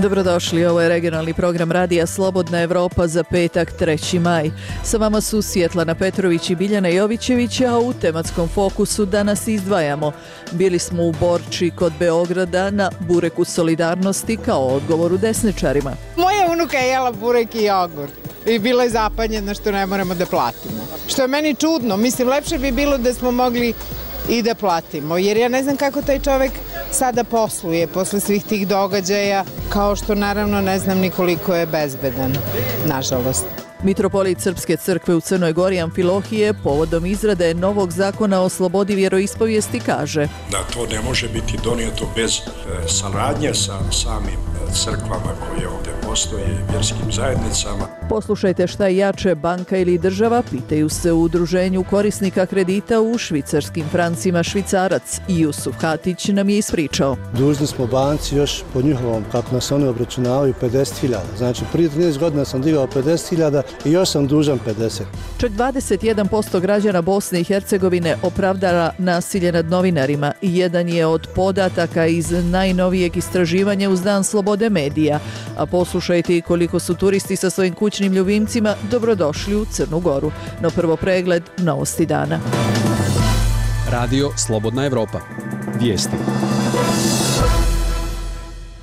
Dobrodošli, ovo je regionalni program Radija Slobodna Evropa za petak 3. maj. Sa vama su Svjetlana Petrović i Biljana Jovićević, a u tematskom fokusu danas izdvajamo. Bili smo u Borči kod Beograda na bureku solidarnosti kao odgovoru desničarima. Moja unuka je jela burek i jogurt i bila je zapanjena što ne moramo da platimo. Što je meni čudno, mislim lepše bi bilo da smo mogli i da platimo, jer ja ne znam kako taj čovek sada posluje posle svih tih događaja, kao što naravno ne znam ni koliko je bezbedan, nažalost. Mitropolit Srpske crkve u Crnoj Gori Amfilohije povodom izrade novog zakona o slobodi vjeroispovijesti kaže da to ne može biti donijeto bez saradnje sa samim crkvama koje ovdje postoje i vjerskim zajednicama. Poslušajte šta je jače, banka ili država, pitaju se u udruženju korisnika kredita u švicarskim francima Švicarac. Jusuf Hatić nam je ispričao. Dužni smo banci još po njihovom, kako nas oni obračunavaju, 50.000. Znači prije 13 godina sam digao 50.000 i još sam dužan 50. Čak 21% građana Bosne i Hercegovine opravdava nasilje nad novinarima i jedan je od podataka iz najnovijeg istraživanja uz Dan slobode medija. A poslušajte i koliko su turisti sa svojim kućnim ljubimcima dobrodošli u Crnu Goru. No prvo pregled novosti dana. Radio Slobodna Evropa. Vijesti.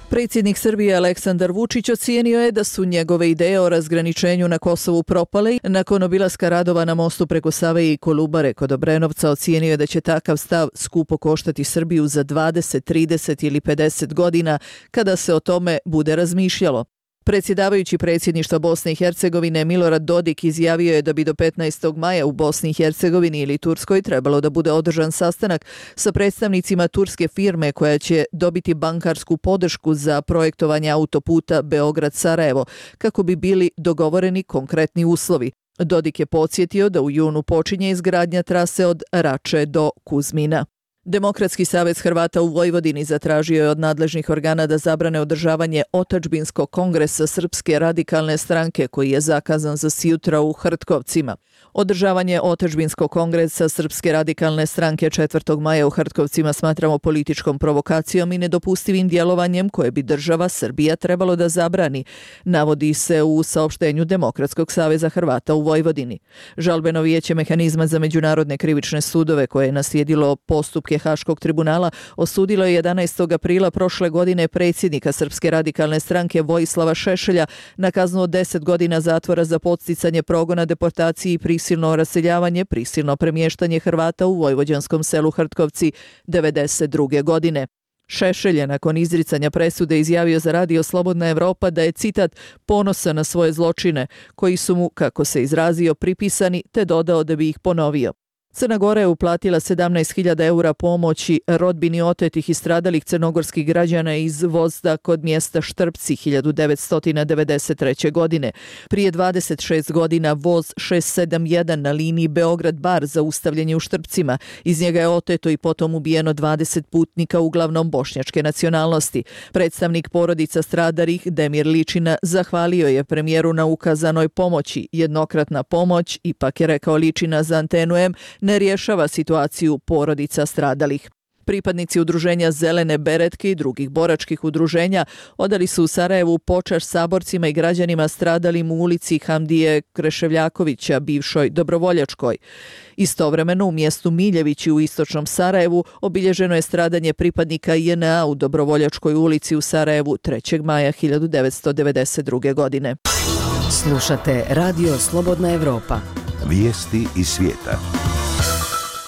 Predsjednik Srbije Aleksandar Vučić ocijenio je da su njegove ideje o razgraničenju na Kosovu propale. Nakon obilaska radova na mostu preko Save i Kolubare kod Obrenovca ocijenio je da će takav stav skupo koštati Srbiju za 20, 30 ili 50 godina kada se o tome bude razmišljalo. Predsjedavajući predsjedništva Bosne i Hercegovine Milorad Dodik izjavio je da bi do 15. maja u Bosni i Hercegovini ili Turskoj trebalo da bude održan sastanak sa predstavnicima turske firme koja će dobiti bankarsku podršku za projektovanje autoputa Beograd-Sarajevo kako bi bili dogovoreni konkretni uslovi. Dodik je podsjetio da u junu počinje izgradnja trase od Rače do Kuzmina. Demokratski savez Hrvata u Vojvodini zatražio je od nadležnih organa da zabrane održavanje otadžbinskog kongresa Srpske radikalne stranke koji je zakazan za sjutra u Hrtkovcima. Održavanje otadžbinskog kongresa Srpske radikalne stranke 4. maja u Hrtkovcima smatramo političkom provokacijom i nedopustivim djelovanjem koje bi država Srbija trebalo da zabrani, navodi se u saopštenju Demokratskog saveza Hrvata u Vojvodini. Žalbeno vijeće mehanizma za međunarodne krivične sudove koje je naslijedilo postupke Haškog tribunala osudilo je 11. aprila prošle godine predsjednika Srpske radikalne stranke Vojislava Šešelja na kaznu od 10 godina zatvora za podsticanje progona, deportaciji i prisilno raseljavanje, prisilno premještanje Hrvata u vojvođanskom selu Hrtkovci 1992. godine. Šešelj je nakon izricanja presude izjavio za Radio Slobodna Evropa da je, citat, ponosan na svoje zločine koji su mu, kako se izrazio, pripisani, te dodao da bi ih ponovio. Crna Gora je uplatila 17.000 eura pomoći rodbini otetih i stradalih crnogorskih građana iz Vozda kod mjesta Štrpci 1993. godine. Prije 26 godina voz 671 na liniji Beograd-Bar zaustavljen je u Štrpcima. Iz njega je oteto i potom ubijeno 20 putnika, uglavnom bošnjačke nacionalnosti. Predstavnik porodica stradalih Demir Ličina zahvalio je premijeru na ukazanoj pomoći. Jednokratna pomoć, ipak je rekao Ličina za Antenu M, ne rješava situaciju porodica stradalih. Pripadnici udruženja Zelene beretke i drugih boračkih udruženja odali su u Sarajevu počast saborcima i građanima stradalim u ulici Hamdije Kreševljakovića, bivšoj Dobrovoljačkoj. Istovremeno u mjestu Miljevići u istočnom Sarajevu obilježeno je stradanje pripadnika JNA u Dobrovoljačkoj ulici u Sarajevu 3. maja 1992. godine. Slušate Radio Slobodna Evropa. Vijesti iz svijeta.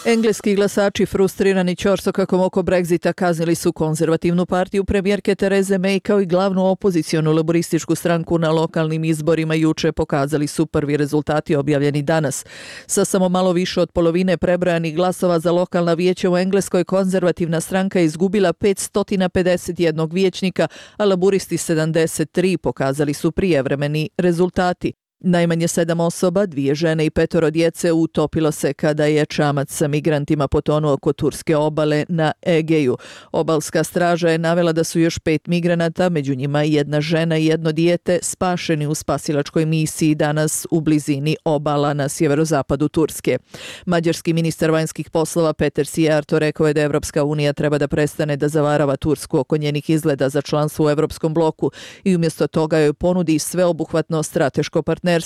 Engleski glasači frustrirani ćorsokakom oko Brexita kaznili su konzervativnu partiju premijerke Tereze May kao i glavnu opozicionu laborističku stranku na lokalnim izborima juče, pokazali su prvi rezultati objavljeni danas. Sa samo malo više od polovine prebrojanih glasova za lokalna vijeća u Engleskoj konzervativna stranka izgubila 551 vijećnika, a laboristi 73, pokazali su prijevremeni rezultati. Najmanje 7 osoba, 2 žene i 5 djece utopilo se kada je čamac sa migrantima potonuo kod turske obale na Egeju. Obalska straža je navela da su još 5 migranata, među njima 1 žena i 1 dijete, spašeni u spasilačkoj misiji danas u blizini obala na sjeverozapadu Turske. Mađarski ministar vanjskih poslova Peter Sijarto rekao je da Evropska unija treba da prestane da zavarava Tursku oko njenih izgleda za članstvo u Evropskom bloku i umjesto toga joj ponudi sveobuhvatno strateško partnerstvo.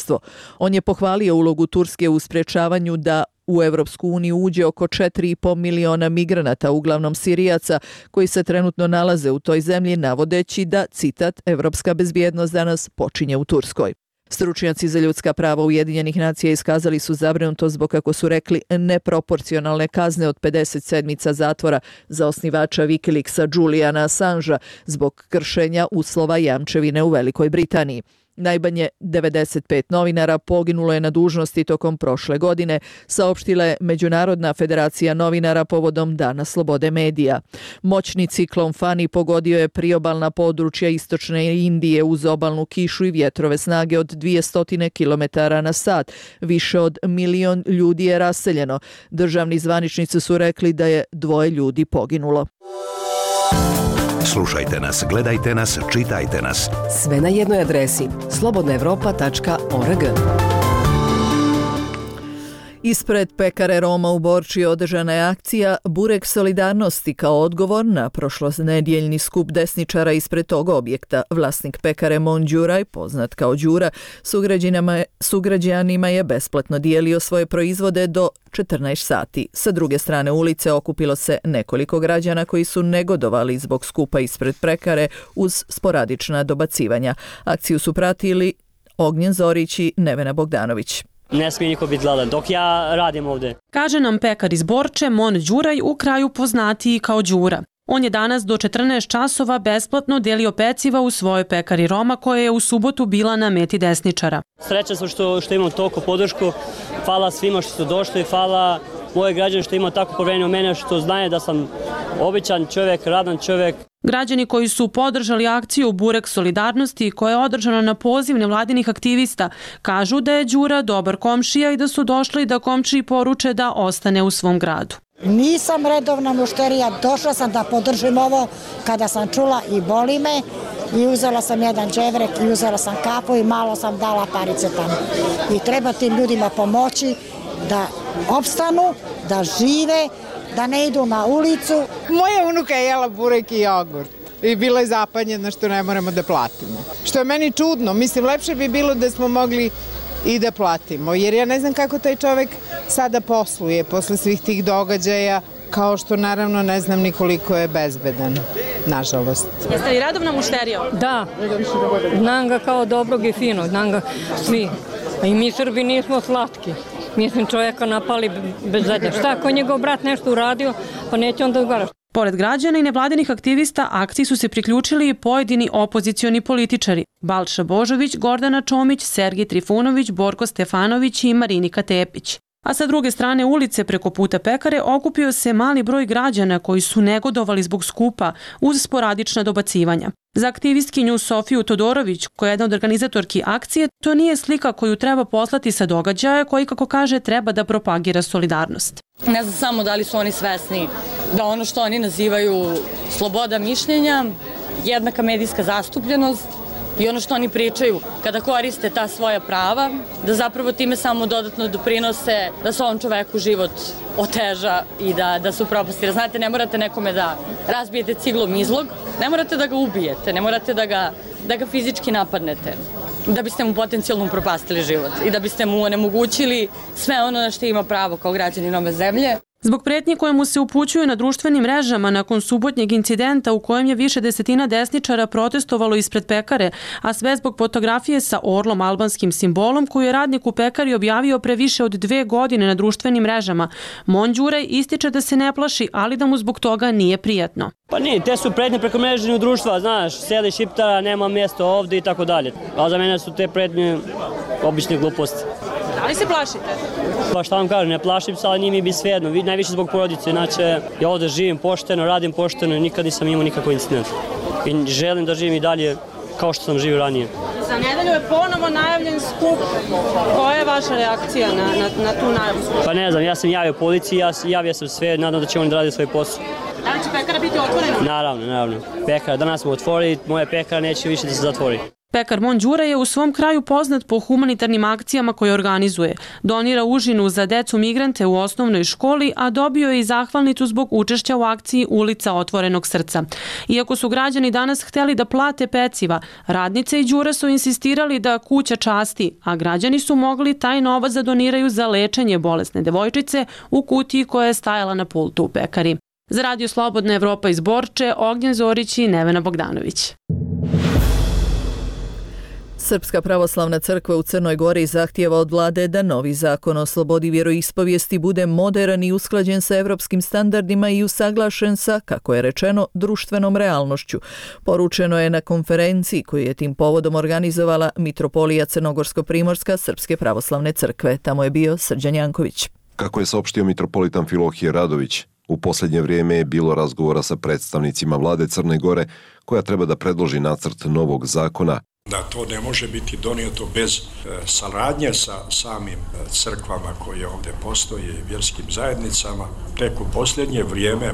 On je pohvalio ulogu Turske u sprečavanju da u Evropsku uniju uđe oko 4,5 miliona migranata, uglavnom Sirijaca, koji se trenutno nalaze u toj zemlji, navodeći da, citat, evropska bezbjednost danas počinje u Turskoj. Stručnjaci za ljudska prava Ujedinjenih nacija iskazali su zabrinutost zbog, kako su rekli, neproporcionalne kazne od 50 sedmica zatvora za osnivača Wikileaksa Juliana Assangea zbog kršenja uslova jamčevine u Velikoj Britaniji. Najmanje 95 novinara poginulo je na dužnosti tokom prošle godine, saopštila je Međunarodna federacija novinara povodom Dana slobode medija. Moćni ciklon Fani pogodio je priobalna područja istočne Indije uz obalnu kišu i vjetrove snage od 200 km/h. Više od 1 milion ljudi je raseljeno. Državni zvaničnici su rekli da je 2 ljudi poginulo. Slušajte nas, gledajte nas, čitajte nas. Sve na jednoj adresi slobodnaevropa.org. Ispred pekare Roma u Borči održana je akcija Burek solidarnosti kao odgovor na prošlonedjeljni skup desničara ispred tog objekta. Vlasnik pekare Mon Đuraj, poznat kao Đura, sugrađanima je besplatno dijelio svoje proizvode do 14 sati. Sa druge strane ulice okupilo se nekoliko građana koji su negodovali zbog skupa ispred pekare uz sporadična dobacivanja. Akciju su pratili Ognjen Zorić i Nevena Bogdanović. Ne smije niko biti gladan dok ja radim ovdje. Kaže nam pekar iz Borče Mon Đuraj, u kraju poznatiji kao Đura. On je danas do 14 časova besplatno delio peciva u svojoj pekari Roma koja je u subotu bila na meti desničara. Srećan sam što imam toliko podršku. Hvala svima što su došli, hvala moje građane što ima tako povjerenje u mene, što znaju da sam običan čovjek, radan čovjek. Građani koji su podržali akciju Burek solidarnosti koja je održana na poziv nevladinih aktivista kažu da je Đura dobar komšija i da su došli da komšiji poruče da ostane u svom gradu. Nisam redovna mušterija, došla sam da podržim ovo kada sam čula i boli me i uzela sam jedan đevrek i uzela sam kapu i malo sam dala parice tamo. I treba tim ljudima pomoći da opstanu, da žive, da ne idu na ulicu. Moja unuka je jela burek i jogurt i bila je zapanjena što ne moramo da platimo. Što je meni čudno, mislim lepše bi bilo da smo mogli i da platimo, jer ja ne znam kako taj čovjek sada posluje posle svih tih događaja, kao što naravno ne znam ni koliko je bezbedan, nažalost. Jeste li radovna mušterija? Da, znam ga kao dobrog i finog, znam ga svi. I mi Srbi nismo slatki. Mislim, čovjeka napali bez veze. Šta, ako njegov brat nešto uradio, pa neće onda odgovaraš. Pored građana i nevladinih aktivista, akciji su se priključili i pojedini opozicioni političari. Balša Božović, Gordana Čomić, Sergij Trifunović, Borko Stefanović i Marinika Tepić. A sa druge strane ulice preko puta pekare okupio se mali broj građana koji su negodovali zbog skupa uz sporadična dobacivanja. Za aktivistkinju Sofiju Todorović, koja je jedna od organizatorki akcije, to nije slika koju treba poslati sa događaja koji, kako kaže, treba da propagira solidarnost. Ne znam samo da li su oni svesni da ono što oni nazivaju sloboda mišljenja, jednaka medijska zastupljenost i ono što oni pričaju kada koriste ta svoja prava, da zapravo time samo dodatno doprinose da se ovom čoveku život oteža i da se upropasti. Jer znate, ne morate nekome da razbijete ciglom izlog, ne morate da ga ubijete, ne morate da ga fizički napadnete, da biste mu potencijalno upropastili život i da biste mu onemogućili sve ono na što ima pravo kao građanin ove zemlje. Zbog pretnji koje mu se upućuju na društvenim mrežama nakon subotnjeg incidenta u kojem je više desetina desničara protestovalo ispred pekare, a sve zbog fotografije sa orlom albanskim simbolom koju je radnik u pekari objavio pre više od 2 godine na društvenim mrežama, Mon Đuraj ističe da se ne plaši, ali da mu zbog toga nije prijatno. Pa nije, te su pretnje preko mreženju društva, znaš, seli Šiptara, nema mjesta ovdje i tako dalje. A za mene su te pretnje obične gluposti. Da li se plašite? Pa šta vam kažem, ne plašim se, ali nije mi bi svejedno. Najviše zbog porodice, inače ja ovdje živim pošteno, radim pošteno i nikad nisam imao nikakav incident. I želim da živim i dalje kao što sam živio ranije. Za nedelju je ponovo najavljen skup. Koja je vaša reakcija na tu najavu? Pa ne znam, ja sam javio policiji, javio sam sve, nadam da će oni da rade svoj posao. Da li će pekara biti otvorena? Naravno. Pekara, danas smo otvorili, moja pekara neće više da se zatvori. Pekar Mon Đura je u svom kraju poznat po humanitarnim akcijama koje organizuje. Donira užinu za decu migrante u osnovnoj školi, a dobio je i zahvalnicu zbog učešća u akciji Ulica otvorenog srca. Iako su građani danas hteli da plate peciva, radnice i Đura su insistirali da kuća časti, a građani su mogli taj novac da doniraju za lečenje bolesne devojčice u kutiji koja je stajala na pultu u pekari. Za Radio Slobodna Evropa iz Borče, Ognjen Zorić i Nevena Bogdanović. Srpska pravoslavna crkva u Crnoj Gori zahtijeva od vlade da novi zakon o slobodi vjeroispovijesti bude moderan i usklađen sa evropskim standardima i usaglašen sa, kako je rečeno, društvenom realnošću. Poručeno je na konferenciji koju je tim povodom organizovala Mitropolija Crnogorsko-Primorska Srpske pravoslavne crkve. Tamo je bio Srđan Janković. Kako je saopštio mitropolitan Filohije Radović, u posljednje vrijeme je bilo razgovora sa predstavnicima vlade Crne Gore koja treba da predloži nacrt novog zakona. Da to ne može biti donijeto bez saradnje sa samim crkvama koje ovdje postoje i vjerskim zajednicama. Tek u posljednje vrijeme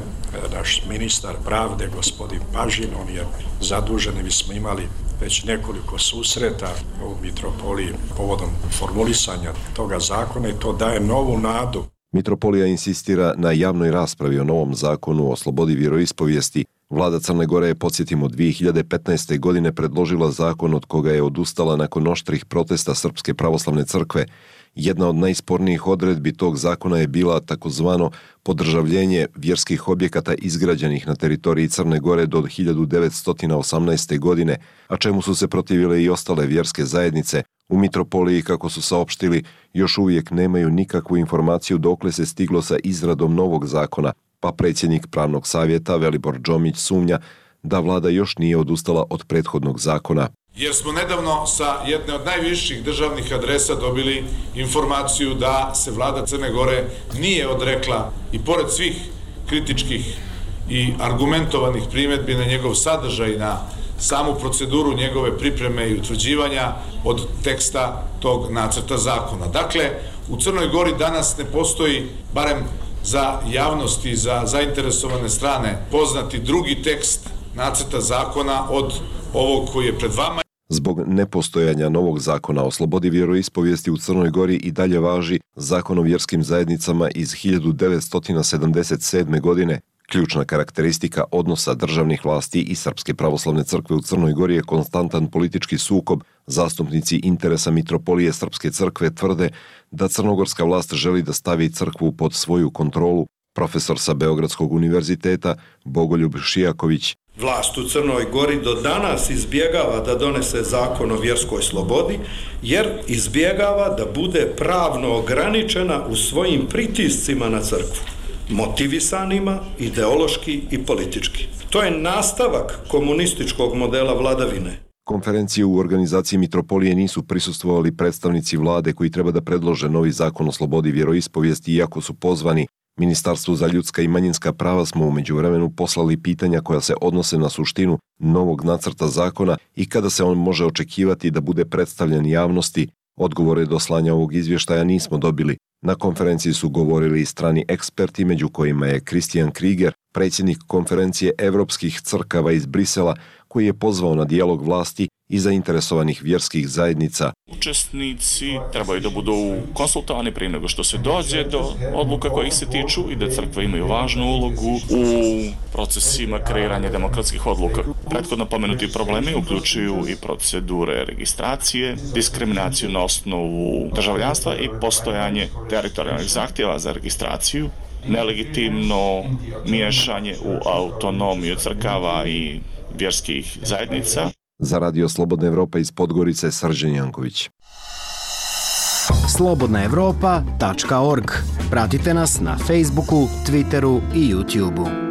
naš ministar pravde, gospodin Pažin, on je zadužen i mi smo imali već nekoliko susreta u mitropoliji povodom formulisanja toga zakona i to daje novu nadu. Mitropolija insistira na javnoj raspravi o novom zakonu o slobodi vjeroispovijesti. Vlada Crne Gore je, podsjetimo, 2015. godine predložila zakon od koga je odustala nakon oštrih protesta Srpske pravoslavne crkve. Jedna od najspornijih odredbi tog zakona je bila takozvano podržavljenje vjerskih objekata izgrađenih na teritoriji Crne Gore do 1918. godine, a čemu su se protivile i ostale vjerske zajednice. U mitropoliji, kako su saopštili, još uvijek nemaju nikakvu informaciju dokle se stiglo sa izradom novog zakona, pa predsjednik pravnog savjeta Velibor Džomić sumnja da vlada još nije odustala od prethodnog zakona. Jer smo nedavno sa jedne od najviših državnih adresa dobili informaciju da se vlada Crne Gore nije odrekla i pored svih kritičkih i argumentovanih primjedbi na njegov sadržaj i na samu proceduru njegove pripreme i utvrđivanja od teksta tog nacrta zakona. Dakle, u Crnoj Gori danas ne postoji, barem za javnost i za zainteresovane strane, poznati drugi tekst nacrta zakona od ovog koji je pred vama. Zbog nepostojanja novog zakona o slobodi vjeroispovijesti u Crnoj Gori i dalje važi Zakon o vjerskim zajednicama iz 1977. godine. Ključna karakteristika odnosa državnih vlasti i Srpske pravoslavne crkve u Crnoj Gori je konstantan politički sukob. Zastupnici interesa Mitropolije Srpske crkve tvrde da crnogorska vlast želi da stavi crkvu pod svoju kontrolu. Profesor sa Beogradskog univerziteta Bogoljub Šijaković. Vlast u Crnoj Gori do danas izbjegava da donese zakon o vjerskoj slobodi, jer izbjegava da bude pravno ograničena u svojim pritiscima na crkvu, motivisanima ideološki i politički. To je nastavak komunističkog modela vladavine. Konferenciji u organizaciji Mitropolije nisu prisustvovali predstavnici vlade koji treba da predlože novi zakon o slobodi vjeroispovijesti, iako su pozvani. Ministarstvu za ljudska i manjinska prava smo u međuvremenu poslali pitanja koja se odnose na suštinu novog nacrta zakona i kada se on može očekivati da bude predstavljen javnosti. Odgovore do slanja ovog izvještaja nismo dobili. Na konferenciji su govorili i strani eksperti, među kojima je Christian Krieger, predsjednik konferencije evropskih crkava iz Brisela, koji je pozvao na dijalog vlasti i zainteresovanih vjerskih zajednica. Učesnici trebaju da budu konsultovani prije nego što se dođe do odluka kojih se tiču i da crkve imaju važnu ulogu u procesima kreiranja demokratskih odluka. Prethodno pomenuti problemi uključuju i procedure registracije, diskriminaciju na osnovu državljanstva i postojanje teritorijalnih zahtjeva za registraciju, nelegitimno miješanje u autonomiju crkava i vjerskih zajednica. Za Radio Slobodna Evropa iz Podgorice, Srđan Janković. slobodnaevropa.org. Pratite nas na Facebooku, Twitteru i YouTubeu.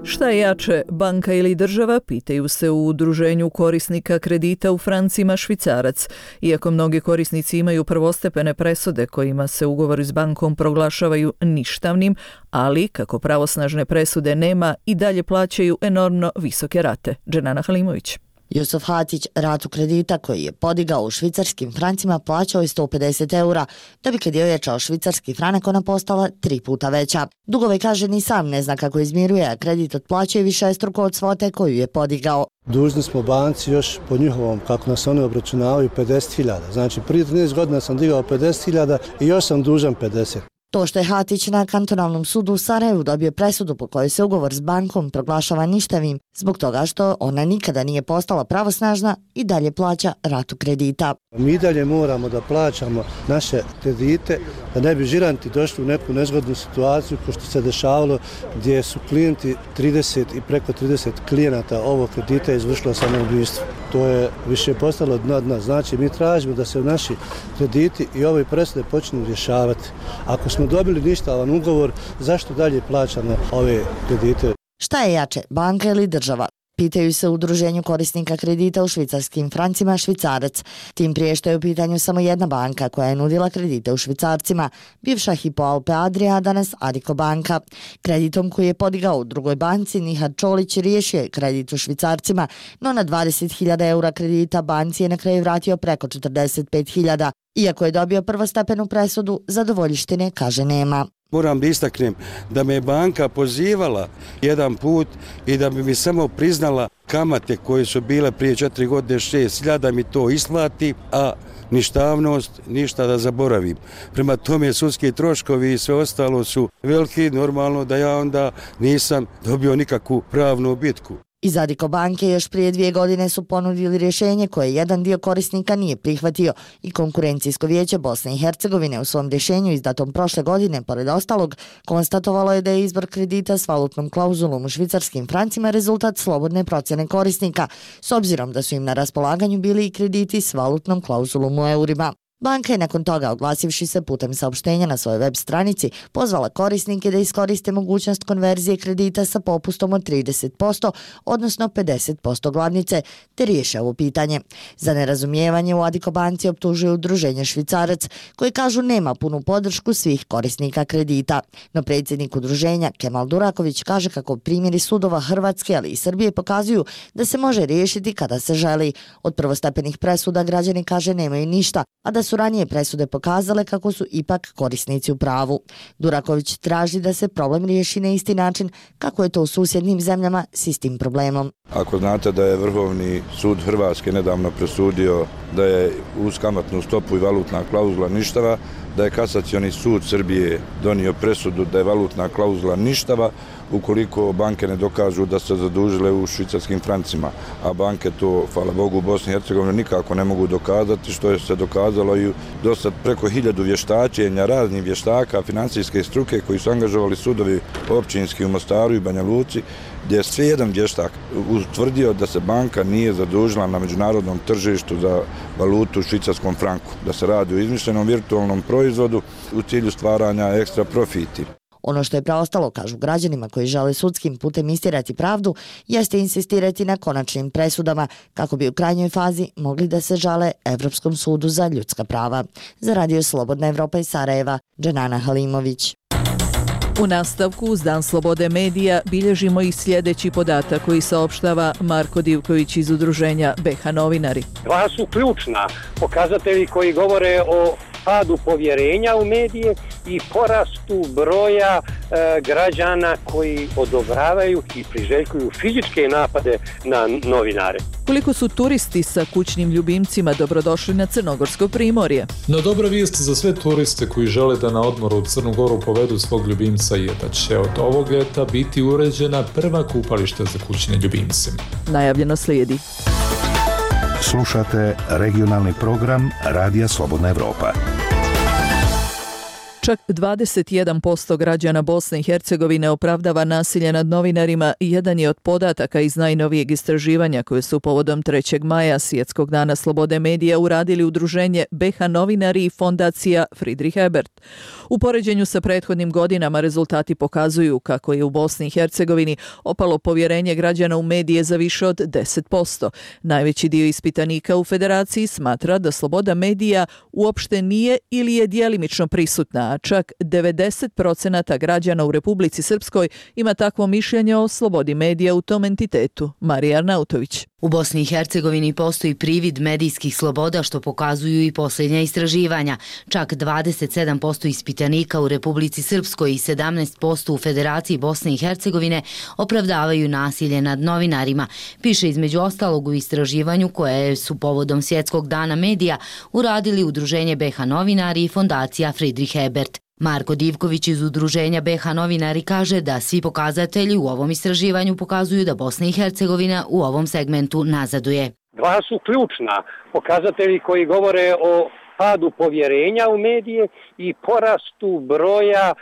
Šta je jače, banka ili država, pitaju se u udruženju korisnika kredita u francima švicarac. Iako mnogi korisnici imaju prvostepene presude kojima se ugovori s bankom proglašavaju ništavnim, ali kako pravosnažne presude nema i dalje plaćaju enormno visoke rate. Dženana Halimović. Jusuf Hatić ratu kredita koji je podigao u švicarskim francima plaćao je 150 eura, da bi kad je ojačao švicarski franak ona postala 3 puta veća. Dugove kaže ni sam ne zna kako izmiruje, a kredit otplaćuje višestruko od svote koju je podigao. Dužni smo banci još po njihovom, kako nas oni obračunavaju, 50.000. Znači prije 13 godina sam digao 50.000 i još sam dužan 50. To što je Hatić na kantonalnom sudu u Sarajevu dobio presudu po kojoj se ugovor s bankom proglašava ništavim zbog toga što ona nikada nije postala pravosnažna i dalje plaća ratu kredita. Mi i dalje moramo da plaćamo naše kredite da ne bi žiranti došli u neku nezgodnu situaciju kao što se dešavalo gdje su klijenti 30 i preko 30 klijenata ovog kredita izvršilo samoubistvo. To je više postalo dno dna. Znači mi tražimo da se naši krediti i ove presude počnu rješavati. Ako smo dobili ništavan ugovor, zašto dalje plaćamo ove kredite? Šta je jače, banka ili država? Pitaju se u udruženju korisnika kredita u švicarskim francima Švicarac. Tim prije što je u pitanju samo jedna banka koja je nudila kredite u švicarcima, bivša Hypo Alpe Adria, a danas Addiko banka. Kreditom koji je podigao u drugoj banci, Nihad Čolić riješio je kredit u švicarcima, no na 20.000 eura kredita banci je na kraju vratio preko 45.000. Iako je dobio prvostepenu presudu, zadovoljištine kaže nema. Moram da istaknem da me je banka pozivala jedan put i da bi mi samo priznala kamate koje su bile prije 4 godine 6.000 mi to isplati, a ništavnost ništa da zaboravim. Prema tome sudski troškovi i sve ostalo su veliki, normalno da ja onda nisam dobio nikakvu pravnu bitku. Iz Addiko banke još prije 2 godine su ponudili rješenje koje jedan dio korisnika nije prihvatio i Konkurencijsko vijeće Bosne i Hercegovine u svom rješenju izdatom prošle godine, pored ostalog, konstatovalo je da je izbor kredita s valutnom klauzulom u švicarskim francima rezultat slobodne procjene korisnika, s obzirom da su im na raspolaganju bili i krediti s valutnom klauzulom u eurima. Banka je nakon toga, oglasivši se putem saopštenja na svojoj web stranici, pozvala korisnike da iskoriste mogućnost konverzije kredita sa popustom od 30%, odnosno 50% glavnice, te riješe ovo pitanje. Za nerazumijevanje u Addiko banci optužuju udruženje Švicarac, koji kažu nema punu podršku svih korisnika kredita. No predsjednik udruženja Kemal Duraković kaže kako primjeri sudova Hrvatske, ali i Srbije pokazuju da se može riješiti kada se želi. Od prvostepenih presuda građani, kaže, nemaju ništa, a da su ranije presude pokazale kako su ipak korisnici u pravu. Duraković traži da se problem riješi na isti način kako je to u susjednim zemljama s istim problemom. Ako znate da je Vrhovni sud Hrvatske nedavno presudio da je uz kamatnu stopu i valutna klauzula ništava, da je Kasacioni sud Srbije donio presudu da je valutna klauzula ništava ukoliko banke ne dokažu da se zadužile u švicarskim francima, a banke to, hvala Bogu, u Bosni i Hercegovini nikako ne mogu dokazati, što je se dokazalo i do sad preko 1000 vještačenja raznih vještaka financijske struke koji su angažovali sudovi općinski u Mostaru i Banja Luci, gdje je sve jedan vještak utvrdio da se banka nije zadužila na međunarodnom tržištu za valutu u švicarskom franku, da se radi o izmišljenom virtualnom proizvodu u cilju stvaranja ekstra profiti. Ono što je preostalo, kažu građanima koji žele sudskim putem istirati pravdu, jeste insistirati na konačnim presudama kako bi u krajnjoj fazi mogli da se žale Evropskom sudu za ljudska prava. Za Radio Slobodna Evropa iz Sarajeva, Dženana Halimović. U nastavku uz Dan slobode medija bilježimo i sljedeći podatak koji saopštava Marko Divković iz udruženja BH Novinari. Dva su ključna pokazatelji koji govore o padu povjerenja u medije i porastu broja građana koji odobravaju i priželjkuju fizičke napade na novinare. Koliko su turisti sa kućnim ljubimcima dobrodošli na Crnogorsko primorje? No dobra vijest za sve turiste koji žele da na odmoru u Crnu Goru povedu svog ljubimca je da će od ovog ljeta biti uređena prva kupališta za kućne ljubimce. Najavljeno slijedi. Slušate regionalni program Radija Slobodna Evropa. Čak 21% građana Bosne i Hercegovine opravdava nasilje nad novinarima i jedan je od podataka iz najnovijeg istraživanja koje su povodom 3. maja, Svjetskog dana slobode medija, uradili udruženje BH Novinari i fondacija Friedrich Ebert. U poređenju sa prethodnim godinama rezultati pokazuju kako je u Bosni i Hercegovini opalo povjerenje građana u medije za više od 10%. Najveći dio ispitanika u Federaciji smatra da sloboda medija uopšte nije ili je djelimično prisutna, čak 90% građana u Republici Srpskoj ima takvo mišljenje o slobodi medija u tom entitetu. Marija Arnautović. U Bosni i Hercegovini postoji privid medijskih sloboda što pokazuju i posljednja istraživanja. Čak 27% ispitanika u Republici Srpskoj i 17% u Federaciji Bosne i Hercegovine opravdavaju nasilje nad novinarima, piše između ostalog u istraživanju koje su povodom Svjetskog dana medija uradili Udruženje BiH novinari i fondacija Friedrich Ebert. Marko Divković iz Udruženja BiH novinari kaže da svi pokazatelji u ovom istraživanju pokazuju da Bosna i Hercegovina u ovom segmentu nazaduje. Dva su ključna pokazatelji koji govore o padu povjerenja u medije i porastu broja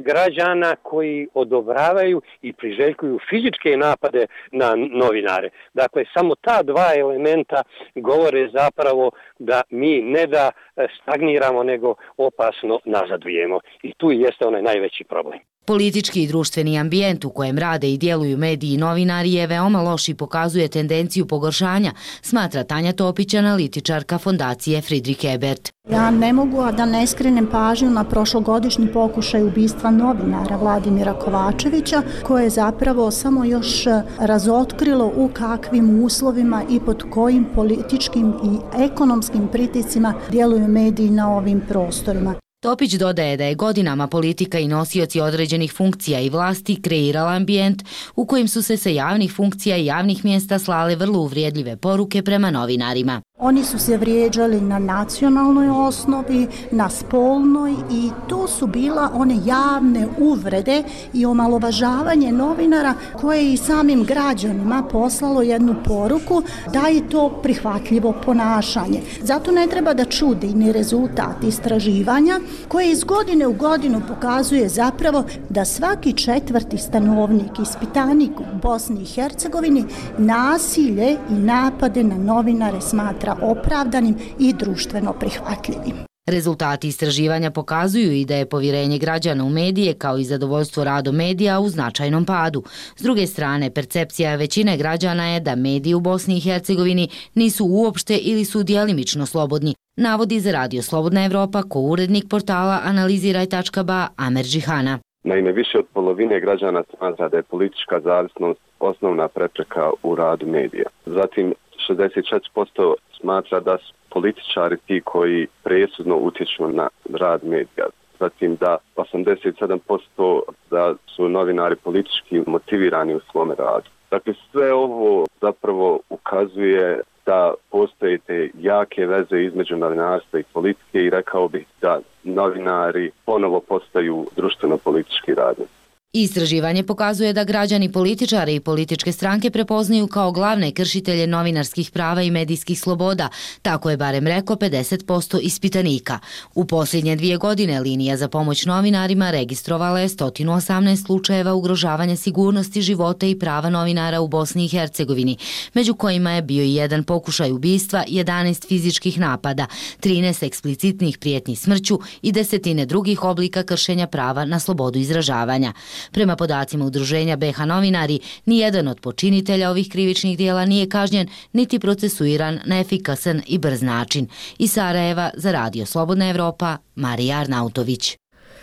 građana koji odobravaju i priželjkuju fizičke napade na novinare. Dakle, samo ta dva elementa govore zapravo da mi ne da stagniramo, nego opasno nazadujemo. I tu jeste onaj najveći problem. Politički i društveni ambijent u kojem rade i djeluju mediji i novinari je veoma loš i pokazuje tendenciju pogoršanja, smatra Tanja Topić, analitičarka fondacije Friedrich Ebert. Ja ne mogu a da ne skrenem pažnju na prošlogodišnji pokušaj ubistva novinara Vladimira Kovačevića, koje je zapravo samo još razotkrilo u kakvim uslovima i pod kojim političkim i ekonomskim pritiscima djeluju mediji na ovim prostorima. Topić dodaje da je godinama politika i nosioci određenih funkcija i vlasti kreirala ambijent u kojim su se sa javnih funkcija i javnih mjesta slale vrlo uvrijedljive poruke prema novinarima. Oni su se vrijeđali na nacionalnoj osnovi, na spolnoj i to su bila one javne uvrede i omalovažavanje novinara koje je i samim građanima poslalo jednu poruku da je to prihvatljivo ponašanje. Zato ne treba da čudi ni rezultat istraživanja koje iz godine u godinu pokazuje zapravo da svaki četvrti stanovnik, ispitanik u Bosni i Hercegovini nasilje i napade na novinare smatra opravdanim i društveno prihvatljivim. Rezultati istraživanja pokazuju i da je povjerenje građana u medije kao i zadovoljstvo radom medija u značajnom padu. S druge strane, percepcija većine građana je da mediji u Bosni i Hercegovini nisu uopšte ili su djelimično slobodni, navodi za Radio Slobodna Evropa ko-urednik portala Analiziraj.ba Amer Džihana. Naime, više od polovine građana smatra da je politička zavisnost osnovna prepreka u radu medija. Zatim 64% smatra da su političari ti koji presudno utječu na rad medija. Zatim da 87% da su novinari politički motivirani u svome radu. Dakle, sve ovo zapravo ukazuje da postoje te jake veze između novinarstva i politike i rekao bih da novinari ponovo postaju društveno-politički radnici. Istraživanje pokazuje da građani političare i političke stranke prepoznaju kao glavne kršitelje novinarskih prava i medijskih sloboda, tako je barem rekao 50% ispitanika. U posljednje 2 godine linija za pomoć novinarima registrovala je 118 slučajeva ugrožavanja sigurnosti, života i prava novinara u Bosni i Hercegovini, među kojima je bio i jedan pokušaj ubistva, 11 fizičkih napada, 13 eksplicitnih prijetnji smrću i 10 drugih oblika kršenja prava na slobodu izražavanja. Prema podacima Udruženja BiH novinari, nijedan od počinitelja ovih krivičnih dijela nije kažnjen niti procesuiran na efikasan i brz način. Iz Sarajeva za Radio Slobodna Evropa, Marija Arnautović.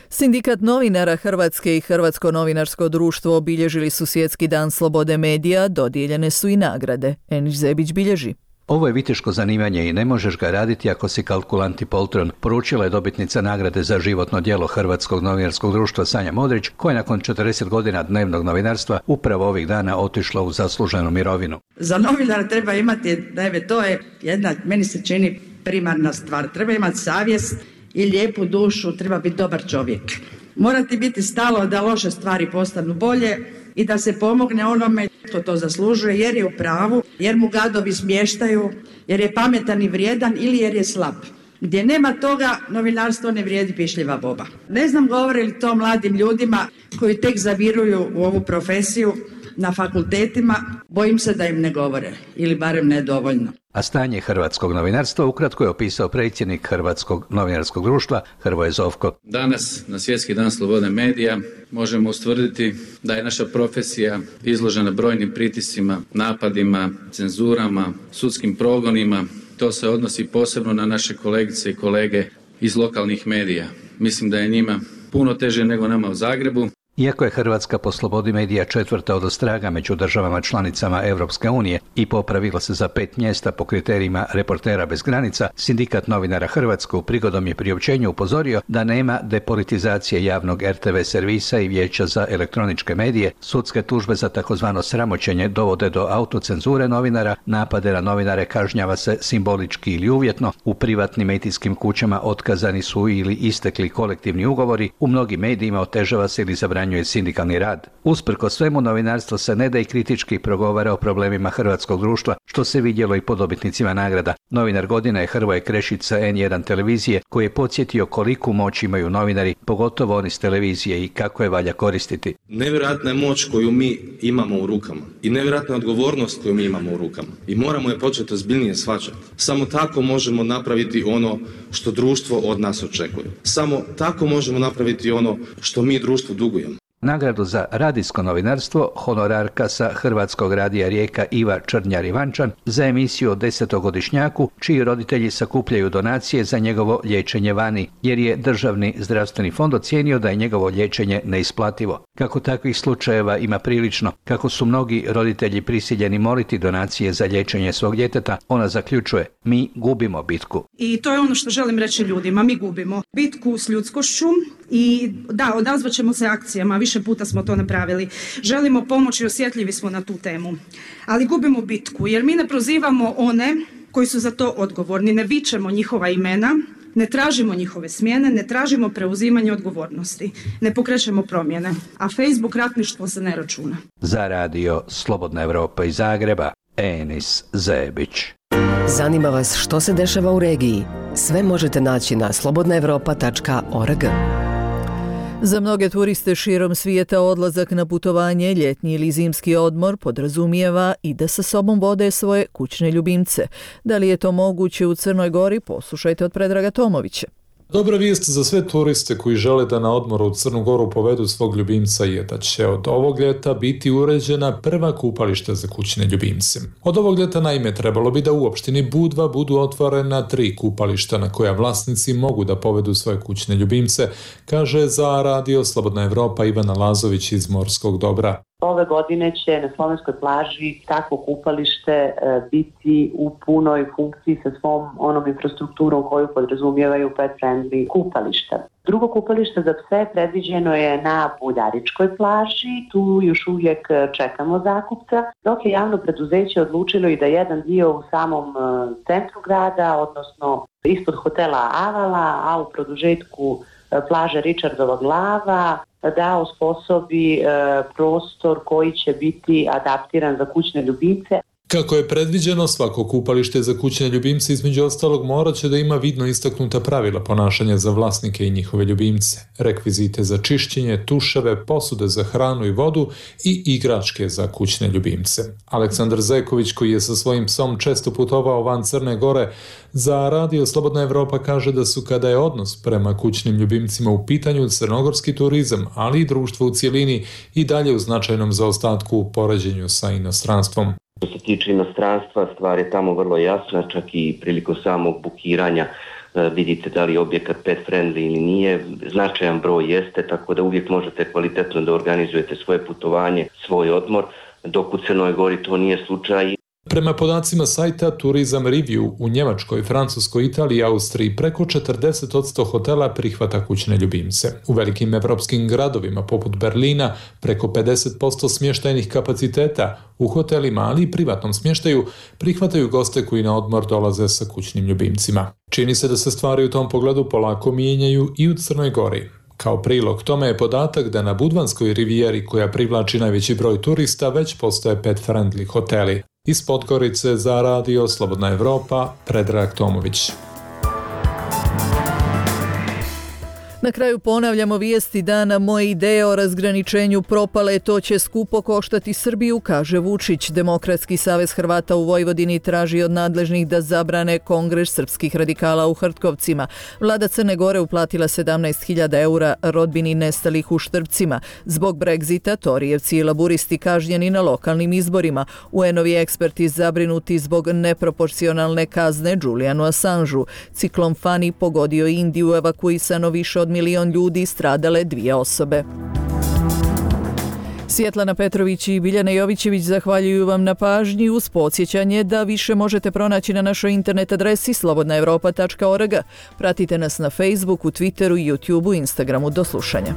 Sindikat novinara Hrvatske i Hrvatsko novinarsko društvo obilježili su Svjetski dan slobode medija, dodijeljene su i nagrade. Enić Zebić bilježi. Ovo je viteško zanimanje i ne možeš ga raditi ako si kalkulant i poltron, poručila je dobitnica nagrade za životno djelo Hrvatskog novinarskog društva Sanja Modrić, koja je nakon 40 godina dnevnog novinarstva upravo ovih dana otišla u zasluženu mirovinu. Za novinara treba imati, to je jedna, meni se čini, primarna stvar. Treba imati savjest i lijepu dušu, treba biti dobar čovjek. Mora ti biti stalo da loše stvari postanu bolje i da se pomogne onome što to zaslužuje, jer je u pravu, jer mu gadovi smještaju, jer je pametan i vrijedan ili jer je slab. Gdje nema toga, novinarstvo ne vrijedi pišljiva boba. Ne znam govore li to mladim ljudima koji tek zaviruju u ovu profesiju na fakultetima, bojim se da im ne govore, ili barem ne dovoljno. A stanje hrvatskog novinarstva ukratko je opisao predsjednik Hrvatskog novinarskog društva Hrvoje Zovko. Danas, na Svjetski dan slobode medija, možemo ustvrditi da je naša profesija izložena brojnim pritiscima, napadima, cenzurama, sudskim progonima. To se odnosi posebno na naše kolegice i kolege iz lokalnih medija. Mislim da je njima puno teže nego nama u Zagrebu. Iako je Hrvatska po slobodi medija četvrta odostraga među državama članicama Europske unije i popravila se za 5 mjesta po kriterijima Reportera bez granica, Sindikat novinara Hrvatske u prigodom je priopćenju upozorio da nema depolitizacije javnog RTV servisa i Vijeća za elektroničke medije, sudske tužbe za takozvano sramoćenje dovode do autocenzure novinara, napade na novinare kažnjava se simbolički ili uvjetno, u privatnim medijskim kućama otkazani su ili istekli kolektivni ugovori, u mnogim medijima otežava se ili zabranjuje sindikalni rad. Usprkos svemu, novinarstvo se ne da i kritički progovara o problemima hrvatskog društva, što se vidjelo i po dobitnicima nagrada. Novinar godine je Hrvoje Krešić sa N1 televizije, koji je podsjetio koliku moć imaju novinari, pogotovo oni s televizije, i kako je valja koristiti. Nevjerojatna je moć koju mi imamo u rukama i nevjerojatna je odgovornost koju mi imamo u rukama i moramo je početi ozbiljnije shvaćati. Samo tako možemo napraviti ono što društvo od nas očekuje. Samo tako možemo napraviti ono što mi društvu dugujemo. Nagradu za radijsko novinarstvo honorarka sa Hrvatskog radija Rijeka Iva Črnjar-Ivančan za emisiju o 10-godišnjaku čiji roditelji sakupljaju donacije za njegovo liječenje vani, jer je Državni zdravstveni fond ocijenio da je njegovo liječenje neisplativo. Kako takvih slučajeva ima prilično, kako su mnogi roditelji prisiljeni moliti donacije za liječenje svog djeteta, ona zaključuje: mi gubimo bitku. I to je ono što želim reći ljudima, mi gubimo bitku s ljudskošću i da, odazvat ćemo se akcijama, više puta smo to napravili. Želimo pomoći, osjetljivi smo na tu temu. Ali gubimo bitku jer mi ne prozivamo one koji su za to odgovorni, ne vičemo njihova imena, ne tražimo njihove smjene, ne tražimo preuzimanje odgovornosti, ne pokrećemo promjene, a Facebook ratništvo se ne računa. Za radio Slobodna Evropa iz Zagreba, Enis Zebić. Zanima vas što se dešava u regiji? Sve možete naći na slobodnaevropa.org. Za mnoge turiste širom svijeta odlazak na putovanje, ljetni ili zimski odmor podrazumijeva i da sa sobom vode svoje kućne ljubimce. Da li je to moguće u Crnoj Gori? Poslušajte od Predraga Tomovića. Dobra vijest za sve turiste koji žele da na odmoru u Crnu Goru povedu svog ljubimca je da će od ovog ljeta biti uređena prva kupališta za kućne ljubimce. Od ovog ljeta naime trebalo bi da u opštini Budva budu otvorena 3 kupališta na koja vlasnici mogu da povedu svoje kućne ljubimce, kaže za radio Slobodna Evropa Ivana Lazović iz Morskog Dobra. Ove godine će na slovenskoj plaži takvo kupalište biti u punoj funkciji sa svom onom infrastrukturom koju podrazumijevaju pet-friendly kupališta. Drugo kupalište za pse predviđeno je na Buljaričkoj plaži, tu još uvijek čekamo zakupca, dok je javno preduzeće odlučilo i da jedan dio u samom centru grada, odnosno ispod hotela Avala, a u produžetku plaže Richardova glava, da osposobi prostor koji će biti adaptiran za kućne ljubimce. Kako je predviđeno, svako kupalište za kućne ljubimce između ostalog morat će da ima vidno istaknuta pravila ponašanja za vlasnike i njihove ljubimce, rekvizite za čišćenje, tuševe, posude za hranu i vodu i igračke za kućne ljubimce. Aleksandar Zeković, koji je sa svojim psom često putovao van Crne Gore, za radio Slobodna Evropa kaže da su, kada je odnos prema kućnim ljubimcima u pitanju, crnogorski turizam, ali i društvo u cijelini, i dalje u značajnom zaostatku u poređenju sa inostranstvom. Što se tiče inostranstva, stvar je tamo vrlo jasna, čak i prilikom samog bukiranja vidite da li je objekat pet friendly ili nije, značajan broj jeste, tako da uvijek možete kvalitetno da organizujete svoje putovanje, svoj odmor, dok u Crnoj Gori to nije slučaj. Prema podacima sajta Tourism Review, u Njemačkoj, Francuskoj, Italiji i Austriji preko 40% hotela prihvata kućne ljubimce. U velikim evropskim gradovima poput Berlina preko 50% smještajnih kapaciteta u hotelima, ali i privatnom smještaju, prihvataju goste koji na odmor dolaze sa kućnim ljubimcima. Čini se da se stvari u tom pogledu polako mijenjaju i u Crnoj Gori. Kao prilog tome je podatak da na Budvanskoj rivijeri, koja privlači najveći broj turista, već postoje pet-friendly hoteli. Iz Podgorice za radio Slobodna Evropa, Predrag Tomović. Na kraju ponavljamo vijesti dana. Moje ideje o razgraničenju propale, to će skupo koštati Srbiju, kaže Vučić. Demokratski savez Hrvata u Vojvodini traži od nadležnih da zabrane kongres srpskih radikala u Hrtkovcima. Vlada Crne Gore uplatila 17.000 eura rodbini nestalih u Štrpcima. Zbog Brexita, Torijevci i laburisti kažnjeni na lokalnim izborima. UN-ovi eksperti zabrinuti zbog neproporcionalne kazne Julianu Assangeu. Ciklon Fani pogodio Indiju, evakuisano više od 1 milion ljudi, stradale 2 osobe. Svjetlana Petrović i Biljana Jovićević zahvaljuju vam na pažnji uz podsjećanje da više možete pronaći na našoj internet adresi slobodnaevropa.org. Pratite nas na Facebooku, Twitteru, YouTubeu, Instagramu. Do slušanja.